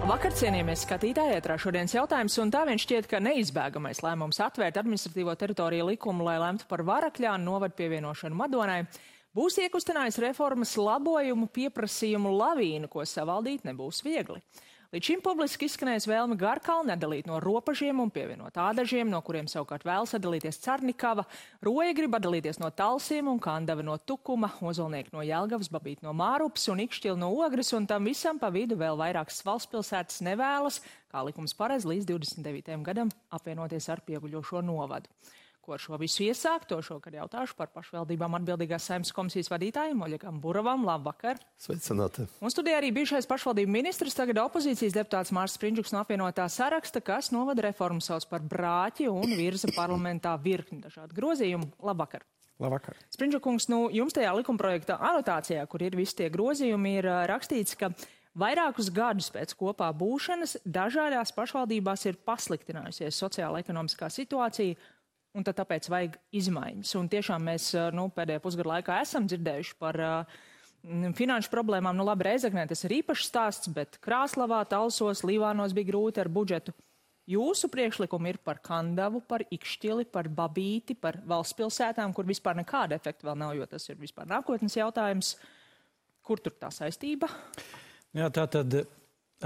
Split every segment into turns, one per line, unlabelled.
Vakar, cienījamies skatītāji, ētrā šodienas jautājums, un tā vien šķiet, ka neizbēgamais lēmums atvērt administratīvo teritoriju likumu, lai lemtu par Varakļānu novadu pievienošanu Madonai, būs iekustinājis reformas labojumu pieprasījumu lavīnu, ko savaldīt nebūs viegli. Līdz šim publiski izskanējis vēlme Garkalni atdalīt no Ropažiem un pievienot Ādažiem, no kuriem savukārt vēlas atdalīties Carnikava, Roja grib atdalīties no Talsiem un Kandava no Tukuma, Ozolnieki no Jelgavas, Babīti no Mārupas un Ikšķili no Ogres, un tam visam pa vidu vēl vairākas valsts pilsētas nevēlas, kā likums paredz, līdz 29. gadam apvienoties ar pieguļošo novadu. Ko ar šo visu iesākt, to šokad jautāšu par pašvaldībām atbildīgās Saeimas komisijas vadītājiem Oļegam Buravam. Labvakar!
Sveicināti!
Un studijā arī bijušais pašvaldību ministrs, tagad opozīcijas deputāts Mārs Sprindžuks no apvienotā saraksta, kas novada reformu sauc par brāķi un virza parlamentā virkni dažādu grozījumu. Labvakar!
Labvakar!
Sprindžukungs, jūs tajā likumprojekta anotācijā, kur ir visi tie grozījumi, ir rakstīts, ka vairākus gadus pēc kopā būšanas dažādās pašvaldībās ir pasliktinājusies sociāla-ekonomiskā situācija, un tad tāpēc vajag izmaiņas. Un tiešām mēs pēdējā pusgada laikā esam dzirdējuši par finanšu problēmām. Labi, Reizeknē tas ir īpašs stāsts, bet Krāslavā, Talsos, Līvānos bija grūti ar budžetu. Jūsu priekšlikumi ir par Kandavu, par Ikšķili, par Babīti, par valsts pilsētām, kur vispār nekāda efekta vēl nav, jo tas ir vispār nākotnes jautājums. Kur tur tā saistība?
Jā, tātad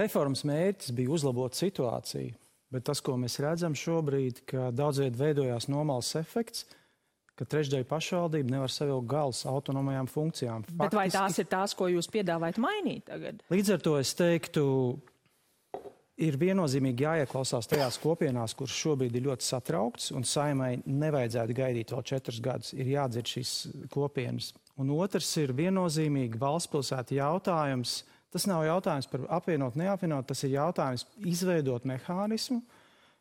reformas mērķis bija uzlabot situāciju. Bet tas, ko mēs redzam šobrīd, ka daudzviet veidojās nomals efekts, ka trešdaļa pašvaldība nevar savilkt galus autonomajām funkcijām.
Bet vai tās ir tās, ko jūs piedāvājat mainīt tagad?
Līdz ar to es teiktu, ir viennozīmīgi jāieklausās tajās kopienās, kuras šobrīd ir ļoti satrauktas, un Saeimai nevajadzētu gaidīt vēl 4 gadus. Ir jādzird šīs kopienas. Un otrs ir viennozīmīgi valsts pilsētu jautājums. Tas nav jautājums par apvienot, neapvienot, tas ir jautājums izveidot mehānismu,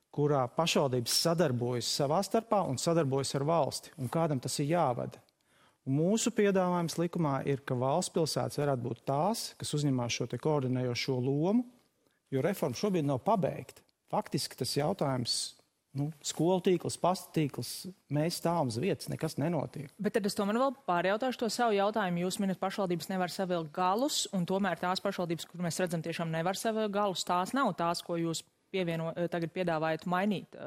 kurā pašvaldības sadarbojas savā starpā un sadarbojas ar valsti, un kādam tas ir jāvada. Un mūsu piedāvājums likumā ir, ka valsts pilsētas varētu būt tās, kas uzņemās šo te koordinējošo lomu, jo reforma šobrīd nav pabeigta. Faktiski tas jautājums, skolu tīkls, pasta tīkls, mēs stāvam uz vietas, nekas nenotiek.
Bet tad es tomēr vēl pārjautāšu to savu jautājumu. Jūs minat, pašvaldības nevar savilkt galus, un tomēr tās pašvaldības, kur mēs redzam, tiešām nevar savilkt galus, tās nav tās, ko jūs tagad piedāvājat mainīt.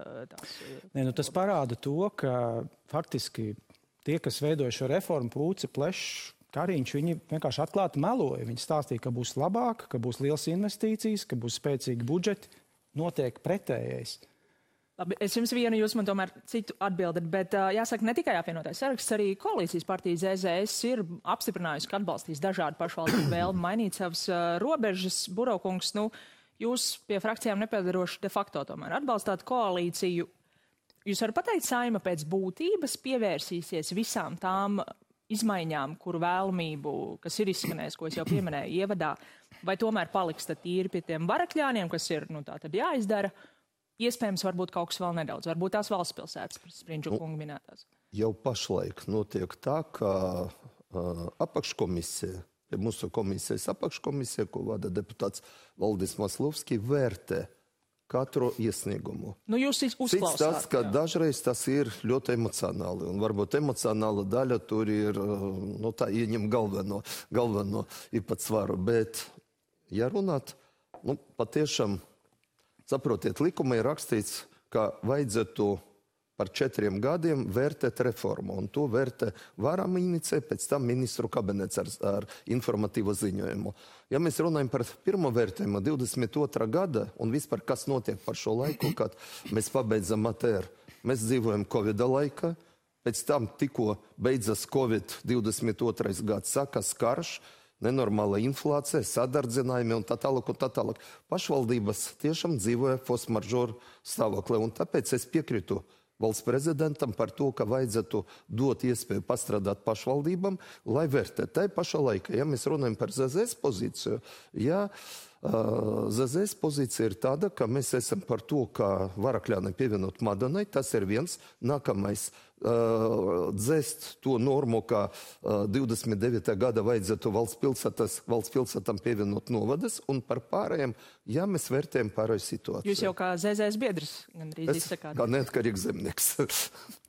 Tas parāda to, ka faktiski tie, kas veidoja šo reformu, Pūce, Plešs, Kariņš, viņi vienkārši atklāti meloja. Viņi stāstīja, ka būs labāk, ka būs liels investīcijas, ka būs spēcīgi budžeti, notiek pretējais.
Labi, es jums vienu, jūs man tomēr citu atbildat, bet jāsaka, ne tikai apvienotais saraksts, arī koalīcijas partija ZZS ir apstiprinājusi, ka atbalstīs dažādu pašvaldību vēlmi mainīt savas robežas. Buraukungs, jūs pie frakcijām nepiedaroši de facto tomēr atbalstāt koalīciju. Jūs varat pateikt, Saeima pēc būtības pievērsīsies visām tām izmaiņām, kuru vēlamību, kas ir izskanējis, ko es jau pieminēju ievadā, vai tomēr paliks tad tīri pie tiem Varakļāniem, kas ir, tā tad jāizdara? Iespējams, varbūt kaut kas vēl nedaudz. Varbūt tās valsts pilsētas, Sprindžuka kunga minētās.
Jau pašlaik notiek tā, ka apakškomisija, mūsu komisijas apakškomisija, ko vada deputāts Valdis Maslovskis, vērtē katru iesniegumu.
Jūs uzklausāt.
Cits tas, ka dažreiz tas ir ļoti emocionāli, un varbūt emocionāla daļa tur ir, tā ieņem galveno īpatsvaru. Bet, ja runāt, patiešām, saprotiet, likumā ir rakstīts, ka vajadzētu par 4 gadiem vērtēt reformu, un to vērtē varam inicē, pēc tam ministru kabinets ar informatīvo ziņojumu. Ja mēs runājam par pirmo vērtējumu 22. gada, un vispār kas notiek par šo laiku, kad mēs pabeidzam ATR, mēs dzīvojam Covida laikā, pēc tam tikko beidzas Covid 22. gads, sākas karš, nenormāla inflācija, sadardzinājumi un tā tālāk. Pašvaldības tiešām dzīvoja force majeure stāvoklī, un tāpēc es piekrītu valsts prezidentam par to, ka vajadzētu dot iespēju pastrādāt pašvaldībām, lai vērtē. Tā pašā laikā, ja mēs runājam par ZZS pozīciju, ZZS pozīcija ir tāda, ka mēs esam par to, ka Varakļāni pievienot Madonai, tas ir viens. Nākamais dzēst to normu, ka 29. gada vajadzētu valsts pilsētām pievienot novadas, un par pārējiem, ja mēs vērtējam pārēju situāciju.
Jūs jau kā ZZS biedrs gandrīz izsakāt.
Kā neatkarīgs zemnieks.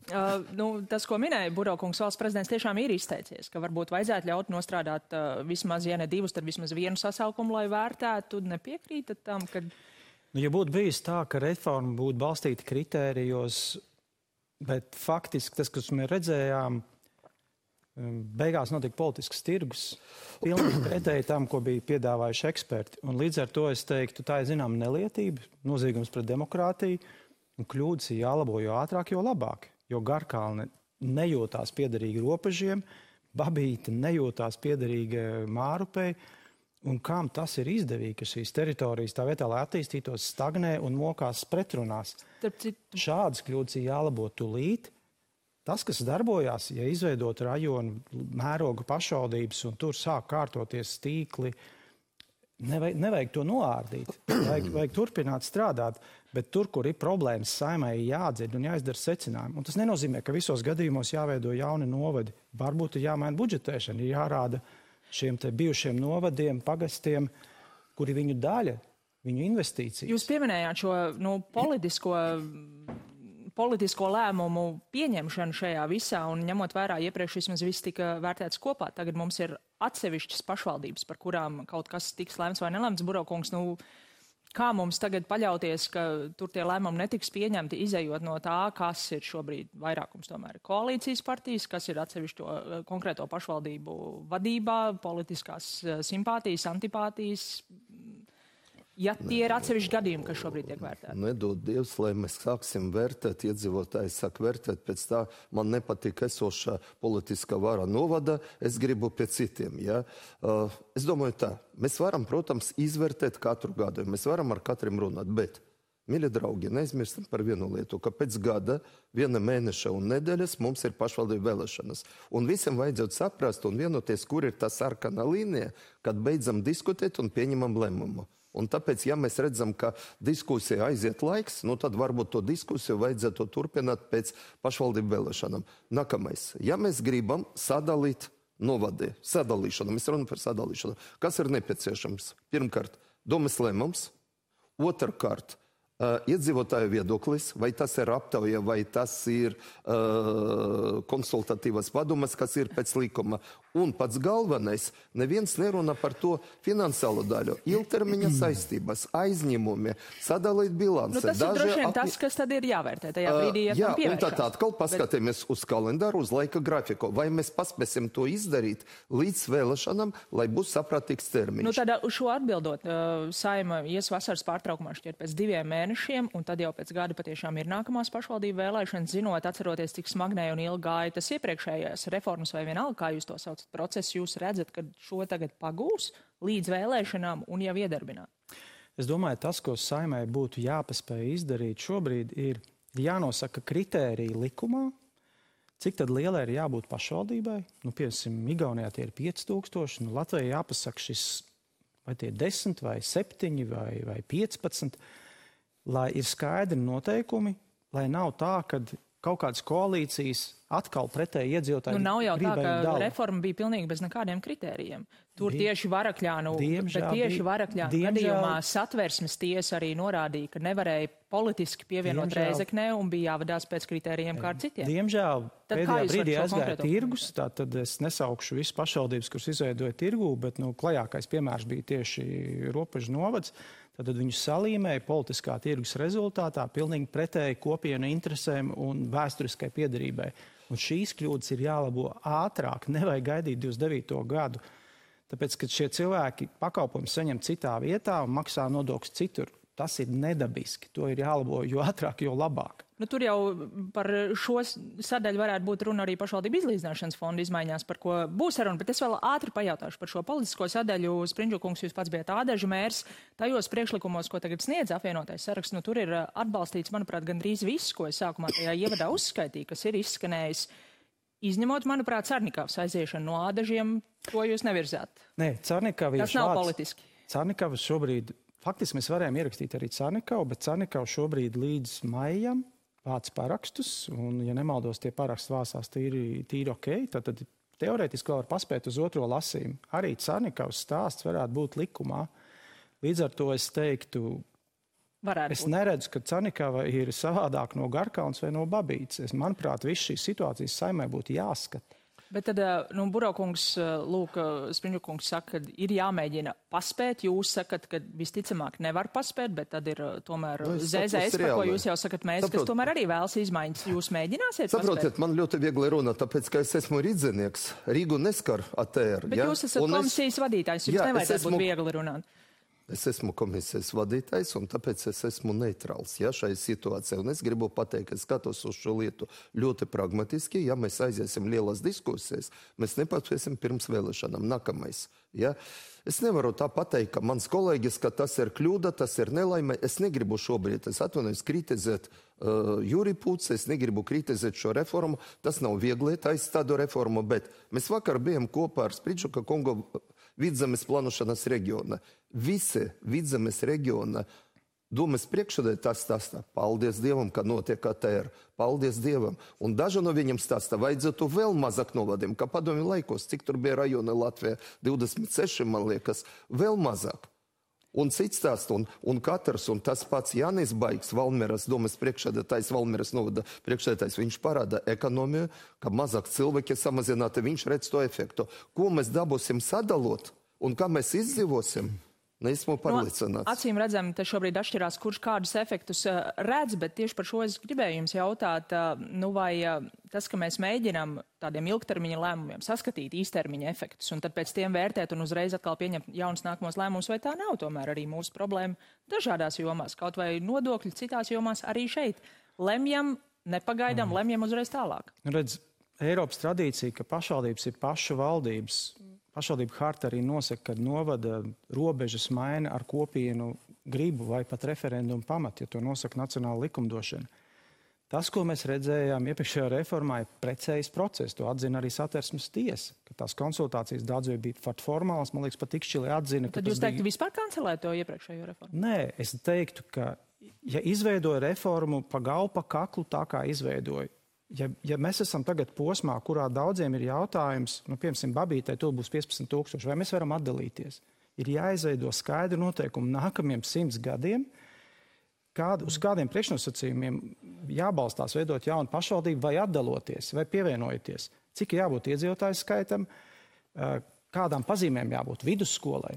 Tas, ko minēja Burokungs, valsts prezidents tiešām ir izteicies, ka varbūt vajadzētu ļaut nostrādāt vismaz, ja ne divus, tad vismaz vienu sasaukumu, lai vērtētu. Nepiekrītat tam, ka...
Ja būtu bijis tā, ka reforma būtu balstīta kritērijos, bet faktiski tas, kas mēs redzējām, beigās notika politisks tirgus, pilnīgi pretēji tam, ko bija piedāvājuši eksperti. Un līdz ar to es teiktu, tā ir zinām nelietība, noziegums pret demokrātiju, un kļūdas ir jālabo, jo ātrāk, jo labāk. Jo Garkalne nejūtās piederīgi robežiem, Babīte nejūtās piederīgi Mārupei, un kam tas ir izdevīgi, ka šīs teritorijas tā vietā, lai attīstītos, stagnē un mokās pretrunās. Šādas kļūdas ir jālabo tūlīt. Tas, kas darbojās, ja izveidot rajonu mēroga pašvaldības un tur sāk kārtoties tīkli, nevajag to noārdīt. Vajag turpināt strādāt, bet tur, kur ir problēmas, Saeimai jādzird un jāizdara secinājumi. Un tas nenozīmē, ka visos gadījumos jāveido jauni novadi. Varbūt ir jāmaina budžetēšana, ir jārāda šiem te bijušiem novadiem, pagastiem, kuri viņu daļa, viņu investīcijas.
Jūs pieminējāt šo politisko lēmumu pieņemšanu šajā visā, un ņemot vērā iepriekš vismaz viss tika vērtēts kopā. Tagad mums ir atsevišķas pašvaldības, par kurām kaut kas tiks lēmts vai nelēmts. Burokungs, kā mums tagad paļauties, ka tur tie lēmumi netiks pieņemti, izējot no tā, kas ir šobrīd vairākums tomēr koalīcijas partijas, kas ir atsevišķo konkrēto pašvaldību vadībā, politiskās simpātijas, antipātijas. Ja tie ir atsevišķi gadījumi, kas šobrīd tiek vērtēti.
Nedod Dievs, lai mēs sāksim vērtēt, iedzīvotāji sāk vērtēt, pēc tā man nepatīk esošā politiskā vara novada, es gribu pie citiem. Ja? Es domāju tā, mēs varam, protams, izvērtēt katru gadu, mēs varam ar katrim runāt, bet, mīļie draugi, neizmirstam par vienu lietu, ka pēc gada, viena mēneša un nedēļas mums ir pašvaldību vēlēšanas. Un visiem vajadzētu saprast un vienoties, kur ir tā sarkana līnija, kad beidzam diskutēt un pieņemam lēmumu. Un tāpēc, ja mēs redzam, ka diskusija aiziet laiks, tad varbūt to diskusiju vajadzētu turpināt pēc pašvaldību vēlēšanām. Nākamais. Ja mēs gribam sadalīt novadi, sadalīšanu, mēs runājam par sadalīšanu, kas ir nepieciešams? Pirmkārt, domas lēmums. Otrkārt, iedzīvotāju viedoklis, vai tas ir aptauja, vai tas ir konsultatīvas padomas, kas ir pēc likuma. Un pats galvenais, neviens nerunā par to finansiālo daļu. Ilgtermiņa saistības, aizņemumi, sadalīt bilanci.
Tas ir droši vien tas, kas tad ir jāvērtē tajā brīdī, ja tam pievēršās.
Un tad atkal paskatāmies uz kalendāru, uz laika grafiku. Vai mēs paspēsim to izdarīt līdz vēlēšanām, lai būs saprātīgs termiņš?
Tad uz šo atbildot, Saeima ies vasaras pārtraukumā šķiet pēc 2 mēnešiem, un tad jau pēc gada patiešām ir nākamās pašvaldību vēlēšanas, zinot, atceroties, cik smagnēji un ilgi gāja tas iepriekšējās reformas vai vienalga, kā jūs to saucat procesu, jūs redzat, ka šo tagad pagūs līdz vēlēšanām un jau iedarbināt?
Es domāju, tas, ko Saeimai būtu jāpaspēj izdarīt šobrīd, ir jānosaka kritērija likumā, cik tad lielai ir jābūt pašvaldībai. Piemēram, Igaunijā tie ir 5000, Latvijai jāpasaka šis, vai tie 10, vai 7, vai 15, lai ir skaidri noteikumi, lai nav tā, kad kaut kādas koalīcijas atkal pretēji iedzīvotāji.
Nav jau tā, ka reforma bija pilnīgi bez nekādiem kritērijiem. Tur tieši Varakļānu gadījumā Satversmes tiesa arī norādīja, ka nevarēja politiski pievienot Rēzeknē un bija jāvadās pēc kritērijiem kā ar citiem.
Diemžēl pēdējā brīdī aizgāja tirgus, tātad es nesaukšu visu pašvaldības, kuras izveidoja tirgu, bet klajākais piemērs bija tieši Robežu novads. Tad viņu salīmēja politiskā tirgus rezultātā pilnīgi pretēji kopienu interesēm un vēsturiskai piederībai. Un šīs kļūdas ir jālabo ātrāk, nevajag gaidīt 29. gadu. Tāpēc, kad šie cilvēki pakalpojumus saņem citā vietā un maksā nodokļus citur, tas ir nedabiski. To ir jālabo jo ātrāk, jo labāk.
Tur jau par šo sadaļu varētu būt runa arī pašvaldību izlīdzināšanas fonda izmaiņās, par ko būs saruna, bet es vēl ātri pajautāšu par šo politisko sadaļu. Sprindžukungs, jūs pats bijat Ādažu mērs. Tajos priekšlikumos, ko tagad sniedz apvienotais saraksts, tur ir atbalstīts, manuprāt, gandrīz viss, ko es sākumā tajā ievadā uzskaitīju, kas ir izskanējis. Izņemot, manuprāt, Carnikavas aiziešanu no Ādažiem, ko jūs nevirzāt.
Nē, Carnikava
tas nav politiski.
Carnikava šobrīd, faktiski mēs varējām ierakstīt arī Carnikavu, bet Carnikava šobrīd līdz maijam vāc parakstus, un, ja nemaldos, tie parakstu vāsās tīri ok, tad teorētiski vēl var paspēt uz otro lasījumu. Arī Carnikavas stāsts varētu būt likumā. Līdz ar to es teiktu... Es neredzu, ka Canikava ir savādāk no Garkaunas vai no Babītes. Manuprāt, viss šīs situācijas Saeimai būtu jāskata.
Bet tad, Buraukungs, Spriņģukungs saka, ka ir jāmēģina paspēt. Jūs sakat, ka visticamāk nevar paspēt, bet tad ir tomēr ZZS, par ko jūs jau sakat mēs, kas tomēr arī vēlas izmaiņas. Jūs mēģināsiet paspēt?
Saprotiet, man ļoti viegli runāt, tāpēc, ka es esmu rīdzinieks. Rīgu neskar ATR.
Bet jūs esat komisijas vadītājs, jums nevajadzētu būt viegli runāt.
Es esmu komisijas vadītājs, un tāpēc es esmu neitrāls šai situācijai. Un es gribu pateikt, ka es skatos uz šo lietu ļoti pragmatiski. Ja mēs aiziesim lielas diskusijas, mēs nepatiesim pirms vēlēšanām. Nākamais. Ja? Es nevaru tā pateikt, ka mans kolēģis, ka tas ir kļūda, tas ir nelaime. Es negribu šobrīd, es atvainojos, kritizēt Juriju Pūci, es negribu kritizēt šo reformu. Tas nav viegli taisīt tādu reformu, bet mēs vakar bijām kopā ar Spriņģuka kungu Vidzemes plānošanas reģiona. Visi Vidzemes reģiona domas priekšsēdētājs stāstā, paldies Dievam, ka notiek ATR. Paldies Dievam. Un daži no viņiem stāstā, vajadzētu vēl mazāk novadiem, kā padomju laikos, cik tur bija rajoni Latvijā, 26, man liekas, vēl mazāk. Un cits stāsts, un katrs, un tas pats Jānis Baigs, Valmieras domas priekšsēdētājs, Valmieras novada priekšsēdētājs, viņš parāda ekonomiju, ka mazāk cilvēki samazināti, viņš redz to efektu. Ko mēs dabūsim sadalot, un kā mēs izdzīvosim? Neesmu pārliecināts.
Acīm redzam, te šobrīd atšķirās, kurš kādus efektus redz, bet tieši par šo es gribēju jums jautāt, vai tas, ka mēs mēģinām tādiem ilgtermiņa lēmumiem saskatīt īstermiņa efektus un tad pēc tiem vērtēt un uzreiz atkal pieņemt jaunus nākamos lēmumus, vai tā nav tomēr arī mūsu problēma dažādās jomās, kaut vai nodokļi citās jomās arī šeit. Lemjam, nepagaidām, lemjam uzreiz tālāk.
Redz, Eiropas tradīcija, ka pašvaldības ir pašu valdības. Pašvaldība harta arī nosaka, ka novada robežas maina ar kopienu gribu vai pat referendumu pamatu, ja to nosaka nacionāla likumdošana. Tas, ko mēs redzējām iepriekšējā reformā, ir precējs process. To atzina arī Satversmes tiesa, ka tās konsultācijas daudz bija formālas, man liekas, pat Ikšķili atzina.
Tad jūs teiktu vispār kancelēt to iepriekšējo reformu?
Nē, es teiktu, ka ja izveidoja reformu pa galvu, pa kaklu, tā kā izveidoja, Ja mēs esam tagad posmā, kurā daudziem ir jautājums, piemēram, Babītei to būs 15,000, vai mēs varam atdalīties? Ir jāizveido skaidri noteikumi nākamajiem 100 gadiem, uz kādiem priekšnosacījumiem jābalstās veidot jaunu pašvaldību vai atdaloties, vai pievienojoties. Cik jābūt iedzīvotāju skaitam, kādām pazīmēm jābūt vidusskolai.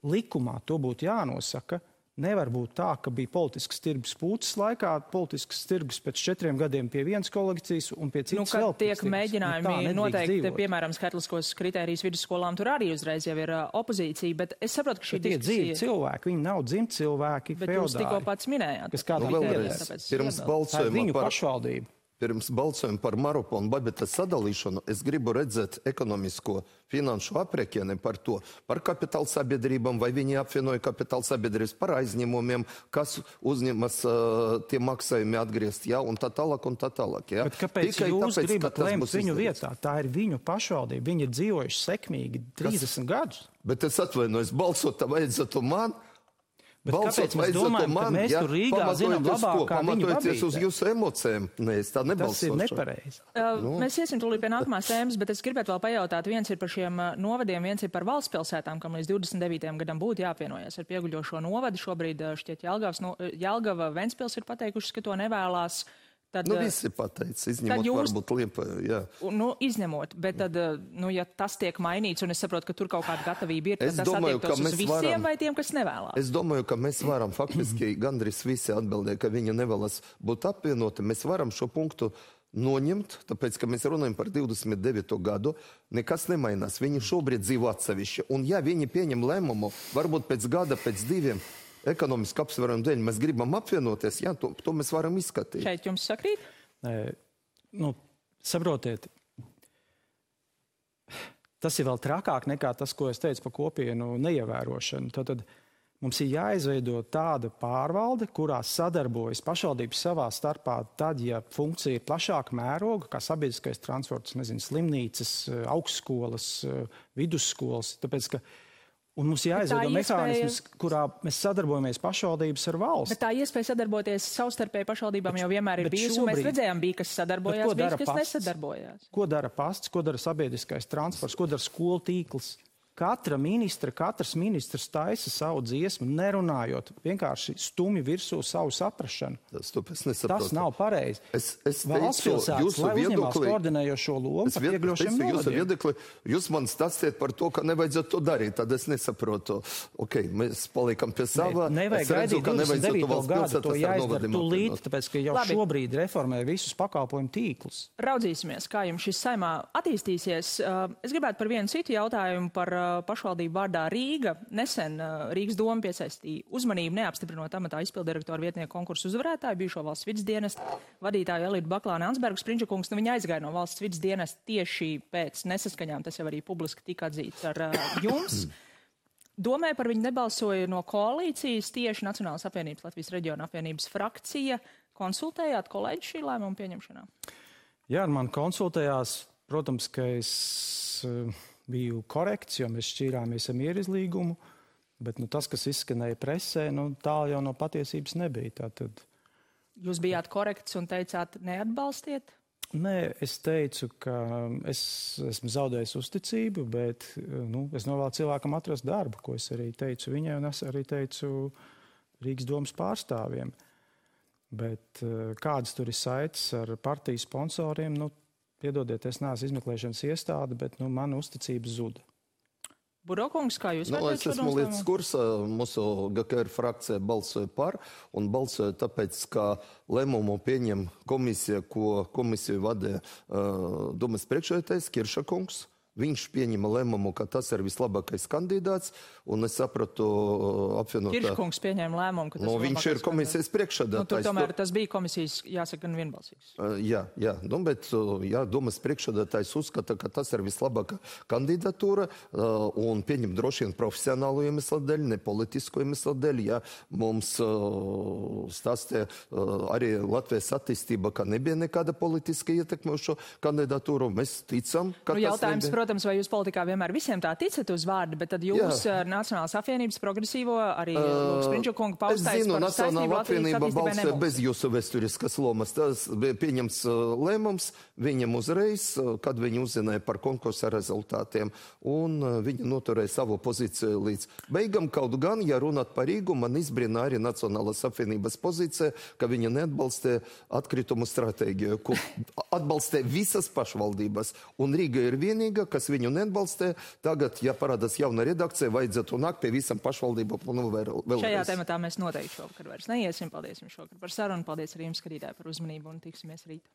Likumā to būtu jānosaka. Nevar būt tā, ka bija politisks tirgus Pūces laikā, politisks tirgus pēc 4 gadiem pie vienas kolekcijas un pie citas vēl.
Kad tiek mēģinājumi noteikti, piemēram, skaitliskos kritērijus vidusskolām, tur arī uzreiz jau ir opozīcija, bet es saprotu, ka šī diskusija...
Tie dzīvi cilvēki, viņi nav dzimti cilvēki,
feodāri. Bet jūs tikko pats minējāt.
Kas kādā
vēlreiz, pirms balsojuma par Marupu un Babitas sadalīšanu, es gribu redzēt ekonomisko finanšu aprēķini par to, par kapitāla sabiedrībām, vai viņi apvienoja kapitāla sabiedrības par aizņēmumiem, kas uzņemas tie maksājumi atgriezt, un tā tālāk, un tā tālāk.
Bet kāpēc jūs gribat lemt viņu vietā? Tā ir viņu pašvaldība. Viņi ir dzīvojuši sekmīgi 30 gadus.
Bet es atvainojos, balsot vajadzētu man.
Bet kāpēc mēs domājam, ka mēs tur Rīgā zinām labāk, kā viņu
pamatojoties uz jūsu emocijām? Nē, es tā nebalsošu.
Tas ir nepareizi.
Mēs iesim tūlīt pie nākamās tēmas, bet es gribētu vēl pajautāt, viens ir par šiem novadiem, viens ir par valsts pilsētām, kam līdz 29. gadam būtu jāapvienojas ar pieguļošo novadu. Šobrīd šķiet Jelgava, Ventspils ir pateikušas, ka to nevēlās. Tad,
visi pateica, izņemot varbūt Liepāju, jā.
Izņemot, bet tad, ja tas tiek mainīts, un es saprotu, ka tur kaut kāda gatavība ir, tad tas attiektos uz visiem vai tiem, kas nevēlās?
Es domāju, ka mēs varam faktiski gandrīz visi atbildēt, ka viņi nevēlas būt apvienoti. Mēs varam šo punktu noņemt, tāpēc, ka mēs runājam par 29. gadu, nekas nemainās. Viņi šobrīd dzīvo atsevišķi. Un ja viņi pieņem lēmumu, varbūt pēc gada, pēc 2 ekonomiski apsvērumu dēļ mēs gribam apvienoties, to mēs varam izskatīt.
Šeit jums sakrīt?
Saprotiet, tas ir vēl trakāk nekā tas, ko es teicu par kopienu neievērošanu. Tad mums ir jāizveido tāda pārvalde, kurā sadarbojas pašvaldības savā starpā tad, ja funkcija ir plašāka mēroga, kā sabiedriskais transports, slimnīcas, augstskolas, vidusskolas, tāpēc, ka un mums jāizveido mehānisms, kurā mēs sadarbojamies pašvaldības ar valsts.
Bet tā iespēja sadarboties savstarpēji pašvaldībām jau vienmēr ir bijusi, un mēs redzējām, bija, kas sadarbojās, bija, kas nesadarbojās.
Ko dara pasts, ko dara sabiedriskais transports, ko dara skolu tīkls? Katrs ministrs taisa savu dziesmu, nerunājot, vienkārši stumj virsū savu saprašanu. Tas nav pareizi. Valsts pilsētas, lai uzņemās koordinējošo lomu par iegļošiem novadiem.
Jūs man stāstiet par to, ka nevajadzētu to darīt, tad es nesaprotu. Ok, mēs paliekam pie savā.
Nevajag gaidīt 29. gadu, to jāizdara tūlīt, tāpēc, ka jau šobrīd reformē visus pakalpojumu tīklus.
Raudzīsimies, kā jums šis saimā attīstīsies. Es gribētu par vienu citu jautājumu par pašvaldību vārdā Rīga. Nesen Rīgas doma piesaistīja uzmanību neapstiprinot amatā izpildirektoru vietnieku konkursu uzvarētāju, bijušo valsts vides dienesta vadītāju Elitu Baklāni Ansbergu. Sprinčakungs, viņa aizgāja no valsts vides dienesta tieši pēc nesaskaņām, tas jau arī publiski tika atzīts ar jums. Domē par viņu nebalsoja no koalīcijas, tieši Nacionālas apvienības Latvijas reģiona apvienības frakcija. Konsultējāt kolēģi šī lēmuma pieņemšanā?
Jā, man konsultējās, protams, ka es biju korekts, jo mēs šķīrāmies ar mierizlīgumu, bet tas, kas izskanēja presē, tālu jau no patiesības nebija. Tātad...
Jūs bijāt korekts un teicāt neatbalstiet?
Nē, es teicu, ka es esmu zaudējis uzticību, bet es novēlu cilvēkam atrast darbu, ko es arī teicu viņai, un es arī teicu Rīgas domas pārstāvjiem. Bet kādas tur ir saites ar partiju sponsoriem, piedodiet, es neesmu izmeklēšanas iestāde, bet mana uzticība zuda.
Burokungs, kā jūs vērtējat
Es esmu līdz kursā, mūsu GKR frakcija balsoja par, un balsoja tāpēc, ka lēmumu pieņem komisija, ko komisiju vadīja domas priekšsēdētājs Kiršakungs. Viņš pieņēma lēmumu, ka tas ir vislabākais kandidāts, un es sapratu apvienotā...
Kirškungs pieņēma lēmumu, ka tas ir
viņš ir komisijas priekšsēdētājs.
Tur tomēr tas bija komisijas, jāsaka, gan vienbalsīgs.
Jā, bet domas priekšsēdētājs uzskata, ka tas ir vislabākā kandidatūra, un pieņem droši vien profesionālu iemeslu dēļ, ne politisku iemeslu dēļ. Ja mums stāstīja arī Latvijas attīstība, ka nebija nekāda politiska ietekme uz šo kandidatūru. Mēs ticam, ka tas nebija.
Protams, vai jūs politikā vienmēr visiem tā ticat uz vārdu, bet tad jūs ar Nacionālās apvienības progresīvo arī Sprinčakunga paustais par saistību Latvijas attīstībai
balsoja bez jūsu vēsturiskas lomas. Tas bija pieņems lēmums viņam uzreiz, kad viņi uzzināja par konkursa rezultātiem, un viņi noturēja savu pozīciju līdz beigam. Kaut gan, ja runāt par Rīgu, man izbrīna arī Nacionālās apvienības pozīcija, ka viņi neatbalstīja atkritumu stratēģiju, ko atbalstīja visas pašvaldības, un Rīga ir vienīga, kas viņu neatbalstē. Tagad, ja parādās jauna redakcija, vajadzētu nākt pie visam pašvaldību.
Šajā tematā mēs noteikti šovakar vairs neiesim. Paldies jums šovakar par sarunu. Paldies arī jums, skatītāji, par uzmanību un tiksimies rīt.